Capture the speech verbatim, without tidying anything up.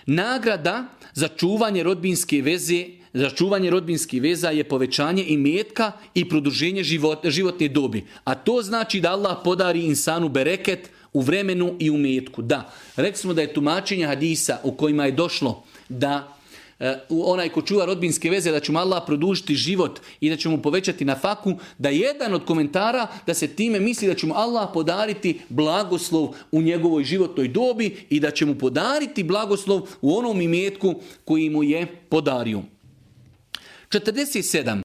Nagrada za čuvanje rodbinske veze, za čuvanje rodbinskih veza je povećanje imetka i produženje život, životne dobi. A to znači da Allah podari insanu bereket u vremenu i u imetku. Da, rekli smo da je tumačenje hadisa u kojima je došlo da onaj ko čuva rodbinske veze, da će mu Allah produžiti život i da će mu povećati na faku, da jedan od komentara da se time misli da će mu Allah podariti blagoslov u njegovoj životnoj dobi i da će mu podariti blagoslov u onom imetku koji mu je podario. četrdeset sedam.